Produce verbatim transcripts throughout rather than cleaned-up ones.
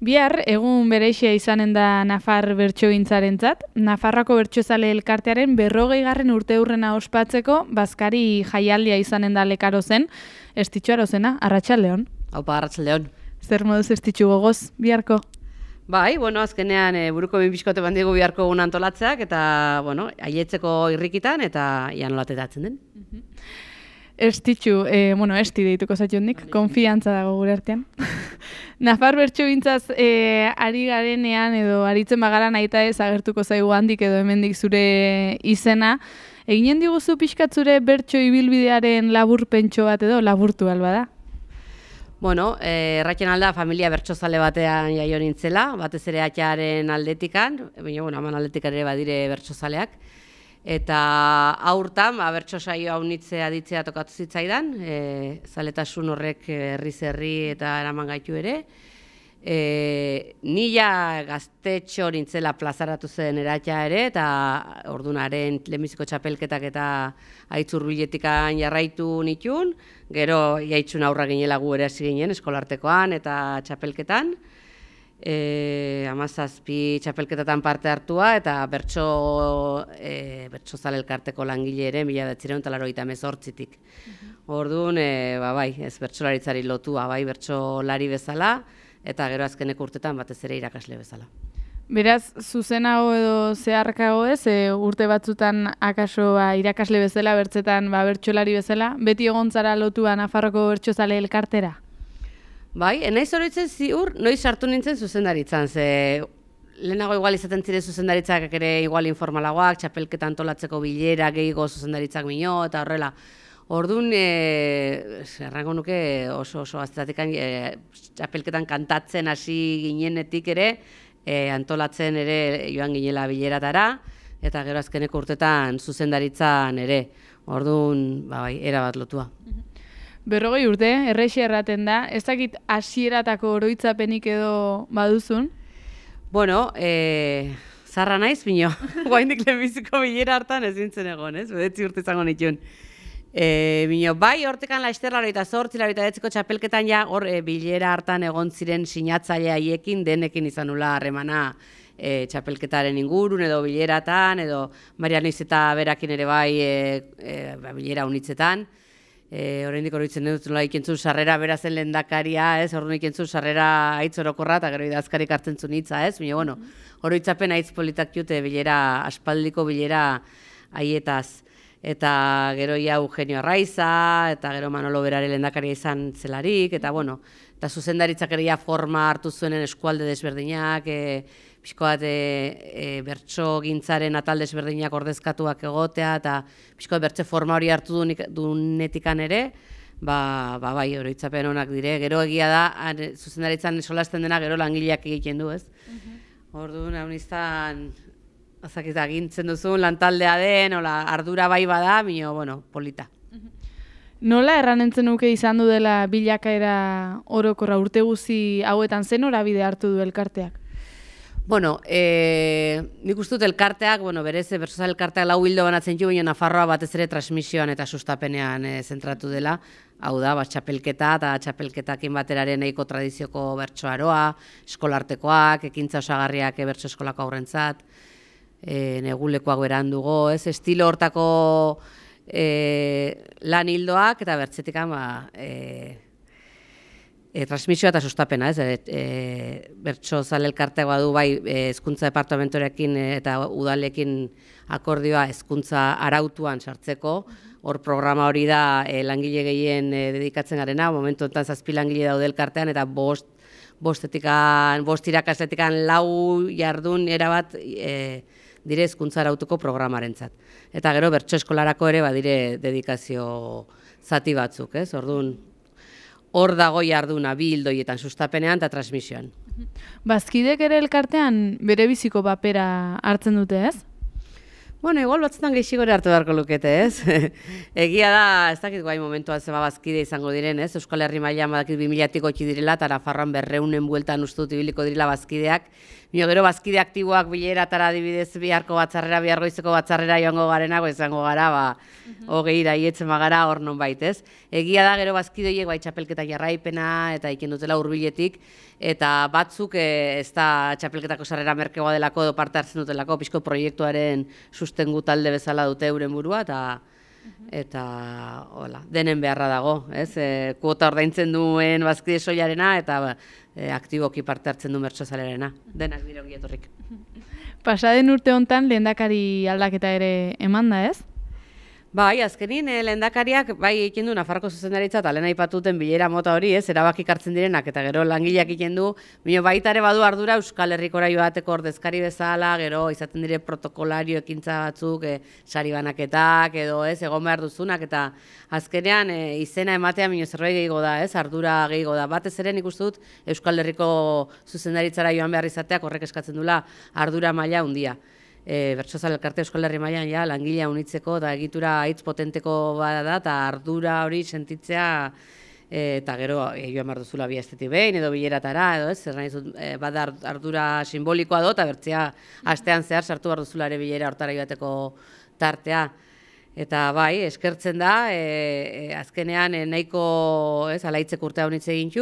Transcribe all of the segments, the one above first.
Bihar, egun bereixia izanen da Nafar bertsogintzarentzat. Nafarroako bertsozale elkartearen berrogei garren urte hurrena ospatzeko, bazkari jaialdia izanen da lekaro zen. Estitxu arozena, arratsaldeon. Haupa, arratsaldeon. Zer moduz estitxu gogoz, biharko? Bai, bueno, azkenean e, buruko binbiskote bandigu biharko egun antolatzeak, eta, bueno, aietzeko irrikitan, eta ian olatetatzen den. Estitxu, e, bueno, esti deituko zationdik, konfiantza dago gure artean. Nafar bertsogintzaz e, ari garenean edo aritzen bagara nahita ez agertuko zaigu handik edo hemendik zure izena. Eginen diguzu pixkat zure bertso ibilbidearen laburpentxo bat edo laburtu alba da? Bueno, eh, erratzen alda familia bertsozale batean jaio nintzela, batez ere atxaren aldetikan, baina, bueno, aman aldetikan ere badire bertsozaleak. Eta aurtan, ba, bertso saio hau nitzea ditzea tokatu zitzaidan, e, zaletasun horrek herriz herri eta eraman gaitu ere. E, nila gaztetxo nintzela plazaratu zen eratxa ere, eta ordunaren lehenbiziko txapelketak eta aitzur biletikan jarraitu nitun, gero jaitzun aurra ginela gu ere hasi ginen eskolartekoan eta txapelketan. E, amazazpi txapelketatan parte hartua eta bertso e, bertsozale elkarteko langile ere mila bederatziehun eta laurogeita hemezortzitik. Orduan, e, ba, bai, ez bertsolaritzari lotua, bai, bertsolari bezala eta gero azkeneko urtetan batez ere irakasle bezala. Beraz, zuzenago edo zeharkago ez, e, urte batzutan akaso ba, irakasle bezala, bertzetan ba, bertsolari bezala, beti egon zara lotua Nafarroko bertsozale elkartera? Bai, enaiz oroitzen ziur, noiz sartu nintzen zuzendaritzan, ze lehenago igual izaten ziren zuzendaritzak ere igual informalagoak, txapelketa antolatzeko bilera, gehiago zuzendaritzak mino, eta horrela. Orduan, e, errango nuke oso oso aztetik e, txapelketan kantatzen hasi ginenetik ere, e, antolatzen ere joan ginela bileratara, eta gero azkeneko urtetan zuzendaritzan ere. Orduan, ba, bai, erabat lotua. Berrogei urte, errexi erraten da, ez dakit hasieratako oroitzapenik edo baduzun? Bueno, e, zarra naiz, bino, guaindik lehenbiziko bilera hartan ezin zen egon, ez? Bedetzi urte izango nituen. E, bino, bai, hortekan laizter laroita zortzi, laroita betziko txapelketan ja, hor e, bilera hartan egon ziren sinatzaile haiekin, denekin izan nula harremana e, txapelketaren ingurun, edo bileratan, edo Marianoiz eta berakin ere bai e, e, bilera unitzetan. E, Oraindik oroitzen dut nola ikentzun sarrera berazen lehendakaria, ez? Orduan ikentzun sarrera aitz orokorra eta gero idazkarik hartzen zuen hitza, ez? Baina, bueno, oroitzapen aitz politak jute bilera, aspaldiko bilera haietaz. Eta gero ia Eugenio Arraiza, eta gero Manolo Berare lehendakaria izan zelarik, eta bueno, eta zuzendaritzak ere ja forma hartu zuenen eskualde desberdinak, e, pixko bat e, e, bertso gintzaren atal desberdinak ordezkatuak egotea, eta pixko bat bertze forma hori hartu dunetikan ere, ba, ba bai, oroitzapen onak dire. Gero egia da, zuzendaritzan solasten dena gero langileak egiten du, ez? Orduan, hau niztan, azakita, gintzen duzun lantaldea den, ola, ardura bai bada, mino, bueno, polita. Nola erranentzen nuke izan du dela bilakaera orokorra urte guzi hauetan zen norabide hartu du elkarteak? Bueno, e, nik uste dut elkarteak, bueno, berez, bertsozale elkarteak lau hildo banatzen jo, baina Nafarroa batez ere transmisioan eta sustapenean e, zentratu dela. Hau da, bat txapelketa eta txapelketakin bateraren nahiko tradizioko bertsoaroa, eskolartekoak, ekintza osagarriak e, bertso eskolako aurrentzat, e, negulekoak berandugo, ez, estilo hortako e, lan hildoak eta bertzetikan, ba, e, E, transmisioa eta sustapena, ez, e, e, bertsozale elkarteak badu bai hezkuntza departamentorekin eta udalekin akordioa hezkuntza arautuan sartzeko, hor programa hori da e, langile gehien e, dedikatzen garena, momentu honetan zazpi langile daude elkartean eta bost, bostetikan, bost irakasletikan lau jardun erabat e, dire hezkuntza arautuko programarentzat. Eta gero bertso eskolarako ere badire dedikazio zati batzuk, ez, orduan, hor dago jarduna bi hildoietan sustapenean eta transmisioan. Bazkidek ere elkartean bere biziko papera hartzen dute, ez? Bueno, igual batzutan gehixigore hartu beharko lukete, ez? Egia da, ez dakit guai momentuan zeba bazkide izango diren, ez? Euskal Herri mailan badakit bi milatik gotxi direla, eta Nafarroan berreunen bueltan uste dut ibiliko direla bazkideak. Mio gero bazkide aktiboak bileratara adibidez biharko batzarrera, bihargoizeko batzarrera joango garenako izango gara, ba, hogei iraietzen bagara hor non bait, ez? Egia da, gero bazkide horiek bai txapelketa jarraipena, eta iken dutela hurbiletik, eta batzuk e, ez da txapelketako sarrera merkegoa delako edo parte hartzen dutelako, pixko proiektuaren sustengu talde bezala dute euren burua, eta eta hola, denen beharra dago, ez? E, kuota ordaintzen duen bazkide soilarena eta ba, e, aktiboki parte hartzen du mertsozalerena. Denak dire ongi etorrik. Pasaden urte hontan lehendakari aldaketa ere eman da, ez? Bai, azkenin eh, lehendakariak bai egiten du Nafarroko zuzendaritza eta lehen aipatuten bilera mota hori, ez, erabakik hartzen direnak eta gero langileak egiten du, bino baita ere badu ardura Euskal Herrikora joateko ordezkari bezala, gero izaten dire protokolario ekintza batzuk, e, sari banaketak edo ez, egon behar duzunak eta azkenean e, izena ematea bino zerbait gehiago da, ez, ardura gehiago da. Batez ere nik uste dut Euskal Herriko zuzendaritzara joan behar izateak horrek eskatzen dula ardura maila handia. E, Bertsozale elkarte Euskal Herri mailan ja langilea unitzeko eta egitura hitz potenteko bada da eta ardura hori sentitzea e, eta gero e, joan behar duzula bi astetik behin edo bileratara edo ez, zer nahi zut, e, bada ardura simbolikoa do eta bertzea astean zehar sartu behar duzula ere bilera hortara joateko tartea. Eta bai, eskertzen da, e, e, azkenean e, nahiko ez, alaitzek urtea honitze egin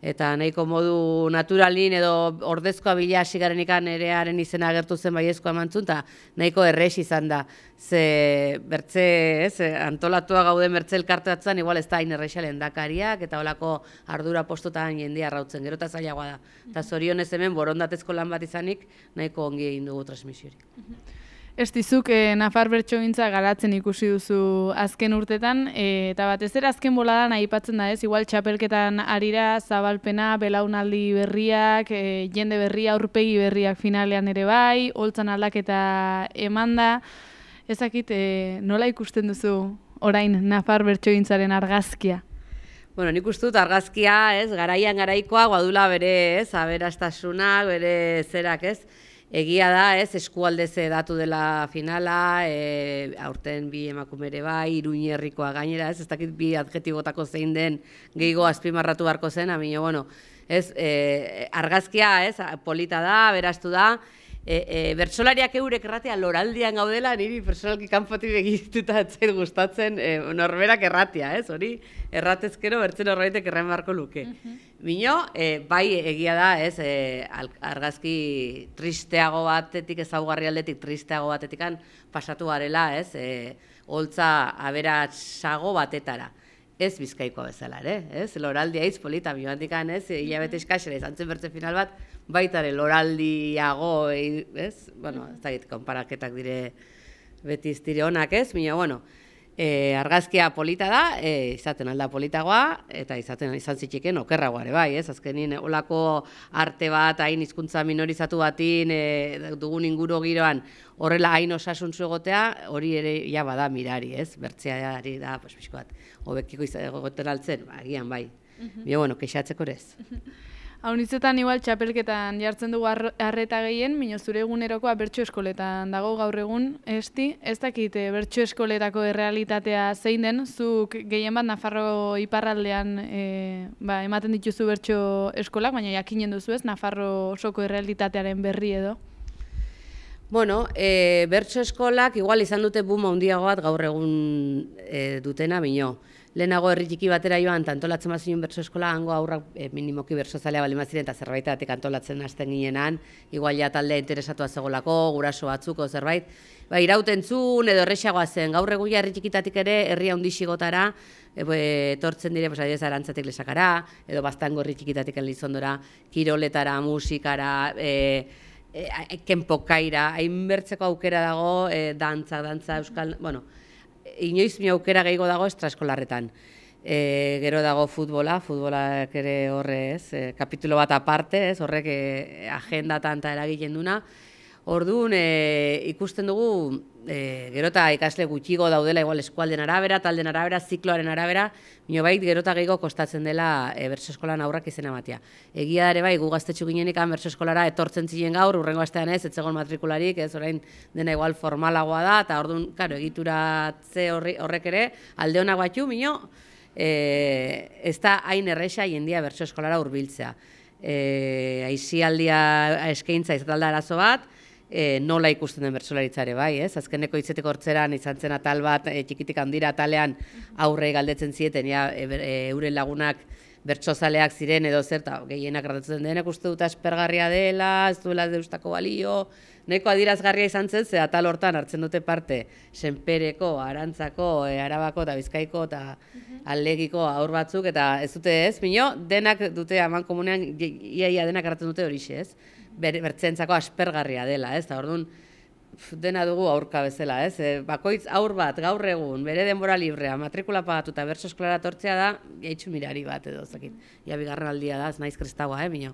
eta nahiko modu naturalin edo ordezkoa bila hasi garenikan erearen izena agertu zen baiezkoa emantzun, eta nahiko errex izan da. Ze bertze, ez, antolatua gauden bertze elkarte batzan, igual ez da hain errexia lehendakariak, eta holako ardura postotan jendea arrautzen, gero eta zailagoa da. Eta zorionez hemen borondatezko lan bat izanik, nahiko ongi egin dugu transmisiorik. Ez dizuk, e, Nafar bertsogintza garatzen ikusi duzu azken urtetan, e, eta batez ere azken boladan aipatzen da ez, igual txapelketan arira, zabalpena, belaunaldi berriak, e, jende berria, aurpegi berriak finalean ere bai, holtzan aldaketa eman da. Ezakit, e, nola ikusten duzu orain Nafar bertsogintzaren argazkia? Bueno, nik uste dut argazkia, ez, garaian garaikoa, guadula bere, ez, aberastasunak, bere zerak, ez, egia da, ez, eskualdez datu dela finala, e, aurten bi emakumere bai, Iruñerrikoa gainera, ez, ez dakit bi adjetibotako zein den gehiago azpimarratu beharko zen, amino, bueno, ez, e, argazkia, ez, polita da, beraztu da, e, e, bertsolariak eurek erratea loraldian gaudela, niri personalki kanpotik begituta etzait gustatzen, e, norberak erratea, ez, hori, erratezkero bertzen horbaitek erren beharko luke. Bino, e, bai egia da, ez, e, argazki tristeago batetik, ezaugarri aldetik tristeago batetikan pasatu garela, ez, e, holtza aberatsago batetara. Ez Bizkaikoa bezala ere, ez, loraldia hitz polita, bioantikan, ez, hilabete eskaxera izan zen bertze final bat, baitare loraldiago, ez, bueno, ez da, konparaketak dire beti iztire honak, ez, bino, bueno, E, argazkia polita da, e, izaten alda politagoa, eta izaten izan zitxiken okerragoa ere bai, ez? Azkenin, olako arte bat, hain hizkuntza minorizatu batin, e, dugun inguru giroan, horrela hain osasuntzu egotea, hori ere ja bada mirari, ez? Bertzeari da, pues, pixko bat, hobekiko egoten altzen, ba, agian bai. Bio, bueno, kexatzeko ere ez. Haunitzetan igual txapelketan jartzen dugu arreta gehien, mino zure egunerokoa bertso eskoletan dago gaur egun, esti, ez dakit bertso eskoletako errealitatea zein den, zuk gehien bat Nafarro iparraldean e, ba, ematen dituzu bertso eskolak, baina jakinen duzu ez, Nafarro osoko errealitatearen berri edo? Bueno, e, bertso eskolak igual izan dute boom handiago bat gaur egun e, dutena bino. Lehenago herri txiki batera joan, eta antolatzen bazinen bertso eskola, hango aurrak e, minimoki bertsozalea bali maziren, eta zerbaitatik antolatzen hasten ginenan, igual ja taldea interesatua zegolako, guraso batzuko zerbait, ba, irautentzun edo errexagoa zen, gaur eguia herri txikitatik ere, herri handixigotara, e, etortzen dire, pues, adiez, Arantzatik Lesakara, edo Baztango herri txikitatik Elizondora, kiroletara, musikara, e, E, kenpokaira, hainbertzeko aukera dago, e, dantza, dantza, euskal, bueno, inoiz mi aukera gehiago dago estraeskolarretan. E, gero dago futbola, futbolak ere horre ez, e, kapitulo bat aparte, ez, horrek e, agendatan eta eragiten duna. Orduan, e, ikusten dugu, e, gerota ikasle gutxigo daudela, igual eskualden arabera, talden arabera, zikloaren arabera, bino bait gerota gehiago kostatzen dela e, bertso eskolan aurrak izena ematea. Egia ere bai, gu gaztetxu ginenik bertso eskolara etortzen ziren gaur, urrengo astean ez, etzegon matrikularik, ez orain dena igual formalagoa da, eta orduan, karo, egituratze horrek ere, alde honak batxu, bino, e, ez da hain erresa jendia bertso eskolara hurbiltzea. E, aizialdia eskaintza izatalda arazo bat, E, nola ikusten den bertsolaritzare bai, ez? Azkeneko hitzeteko hortzeran izan zen atal bat, e, txikitik handira atalean aurre galdetzen zieten, ja, e, e, euren lagunak bertsozaleak ziren edo zer, eta gehienak gradatzen denek uste dut aspergarria dela, ez duela deustako balio, nahiko adirazgarria izan zen, ze atal hortan hartzen dute parte Senpereko, Arantzako, e, Arabako eta Bizkaiko eta Alegiko aur batzuk, eta ez dute ez, bino, denak dute aman komunean, iaia denak hartzen dute horixe, ez? Bertzentzako aspergarria dela, ez? Orduan, dena dugu aurka bezala, ez? E, bakoitz aur bat, gaur egun, bere denbora librea, matrikula pagatu eta bertso eskolara tortzea da, jaitxu mirari bat edo, ez dakit. Ja, bigarren aldia da, ez naiz kristaua, eh, bino.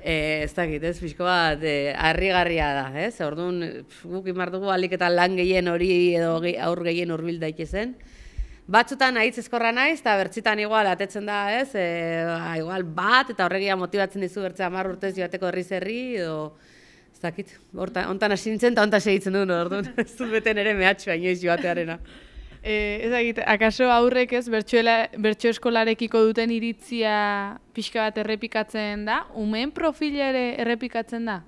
E, ez dakit, ez, pixko bat, e, harrigarria da, ez? Orduan, guk imar dugu alik eta lan gehien hori edo aur gehien hurbil daitezen. Batzutan ahitz ezkorra naiz, eta bertzitan igual atetzen da, ez, e, a, igual bat, eta horregia motibatzen dizu bertzea hamar urtez joateko herriz herri, edo, ez dakit, hontan hasi nintzen, eta hontan segitzen duen, orduan, ez dut beten ere mehatxua inoiz joatearena. E, ez dakit, akaso aurrek ez, bertso eskolarekiko duten iritzia pixka bat errepikatzen da, umeen profila ere errepikatzen da?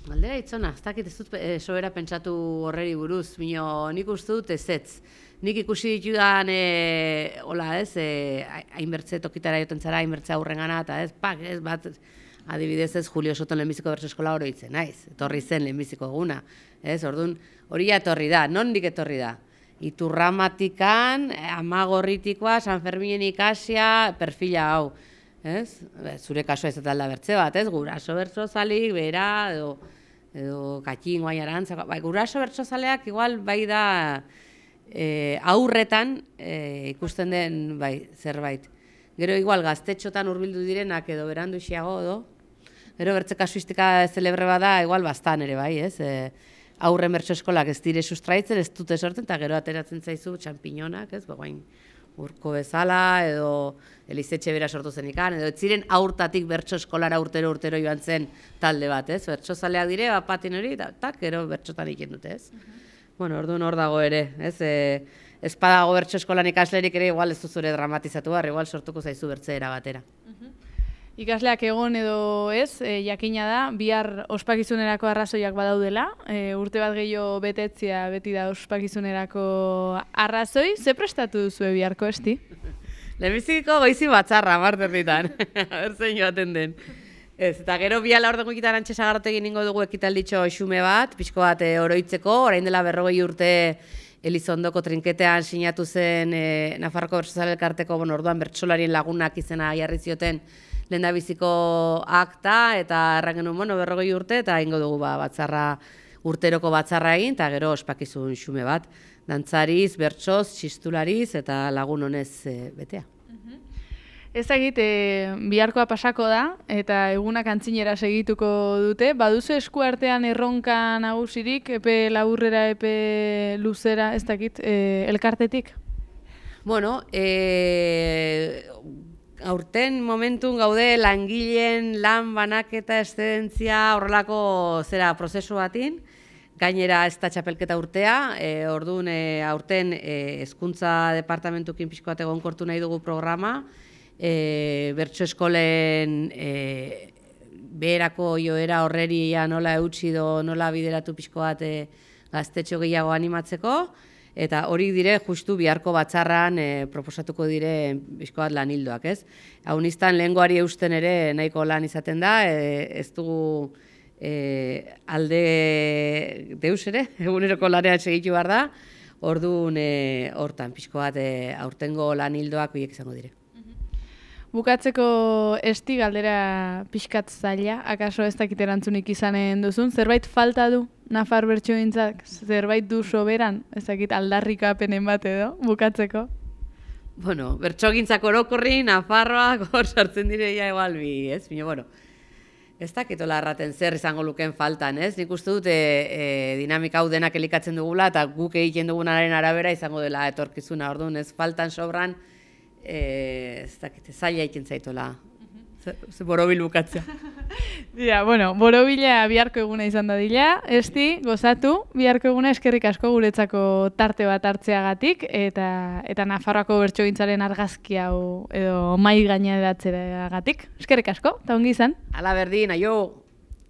Galdera itzona, ez dakit ez dut e, sobera pentsatu horreri buruz, bino nik uste dut ezetz. Nik ikusi ditudan, e, hola ez, e, hainbertze tokitara joten zara, hainbertze aurrengana, eta ez, pak, ez, bat, adibidez ez, Julio Soton lehenbiziko bertso eskola oroitzen, naiz, etorri zen lehenbiziko eguna, ez, orduan, hori etorri da, nondik etorri da? Iturramatikan, Amagorritikoa, San Ferminen ikasia, perfila hau, ez? Zure kasua ez da bertze bat, ez? Guraso bertsozalik, bera, edo, edo Katxin, guai Arantzako, bai, guraso bertsozaleak igual bai da e, aurretan e, ikusten den bai, zerbait. Gero igual gaztetxotan hurbildu direnak edo berandu xiago edo, gero bertze kasuistika zelebre bada igual bastan ere bai, ez? E, aurren bertso eskolak ez dire sustraitzen, ez dute sortzen, eta gero ateratzen zaizu txampiñonak, ez? Bagoain, Urko bezala, edo Elizetxe bera sortu zenikan, edo ez ziren aurtatik bertso eskolara urtero urtero joan zen talde bat, ez? Bertso zaleak dire, bapatin hori, eta tak, gero bertsotan iken dute, ez? Uh-huh. Bueno, orduan hor dago ere, ez? E, ez padago bertso eskolan ikaslerik ere, igual ez duzure dramatizatu behar, igual sortuko zaizu bertzeera batera. Uh-huh. Ikasleak egon edo ez, e, jakina da, bihar ospakizunerako arrazoiak badaudela, e, urte bat gehiago betetzea beti da ospakizunerako arrazoi, ze prestatu duzue biharko esti? Lehenbiziko goizi batzarra, marterritan, berzein joaten den. Ez, eta gero biala hor dugu ikitan antxe sagarrotegin ningo dugu ekitalditxo xume bat, pixko bat e, oroitzeko, orain dela berrogei urte Elizondoko trinketean sinatu zen e, Nafarroko Bertsozale Elkarteko, bueno, orduan bertsolarien lagunak izena jarri zioten lehendabiziko akta, eta erran genuen, bueno, berrogei urte, eta ingo dugu ba, batzarra, urteroko batzarra egin, eta gero ospakizun xume bat, dantzariz, bertsoz, txistulariz, eta lagun honez e, betea. Ez egit, e, biharkoa pasako da, eta egunak antzinera segituko dute, baduzu esku artean erronka nagusirik, epe laburrera, epe luzera, ez dakit, e, elkartetik? Bueno, e, aurten momentun gaude langileen lan banaketa eszedentzia horrelako zera prozesu batin, gainera ez da txapelketa urtea, e, orduan e, aurten e, hezkuntza departamentukin pixko bat egonkortu nahi dugu programa, e, bertso eskolen e, beherako joera horreri nola eutsi do, nola bideratu pixko bat e, gaztetxo gehiago animatzeko, eta hori dire justu biharko batzarran e, proposatuko dire pixko bat lan hildoak, ez? Hau niztan lehengoari eusten ere nahiko lan izaten da, e, ez dugu e, alde deus ere, eguneroko lanean segitu behar da, orduan e, hortan pixko bat e, aurtengo lan hildoak horiek izango dire. Bukatzeko esti galdera pixkat zaila, akaso ez dakit erantzunik izanen duzun, zerbait falta du Nafar bertsogintzak, zerbait du soberan, ez dakit aldarrikapenen bat edo, bukatzeko? Bueno, bertsogintzak orokorri, Nafarroak hor sartzen direia egual bi, ez? Bino, bueno, ez dakitola erraten zer izango luken faltan, ez? Nik uste dut e, e, dinamika hau denak elikatzen dugula eta guk egiten dugunaren arabera izango dela etorkizuna, orduan ez faltan sobran, e, ez dakit, zaila egiten zaitola. Ze borobil bukatzea. Ja, bueno, borobila biharko eguna izan da dila, esti, gozatu, biharko eguna eskerrik asko guretzako tarte bat hartzeagatik, eta eta Nafarroako bertsogintzaren argazki hau edo mai gaineratzeagatik. Eskerrik asko, eta ongi izan. Ala berdin, aio!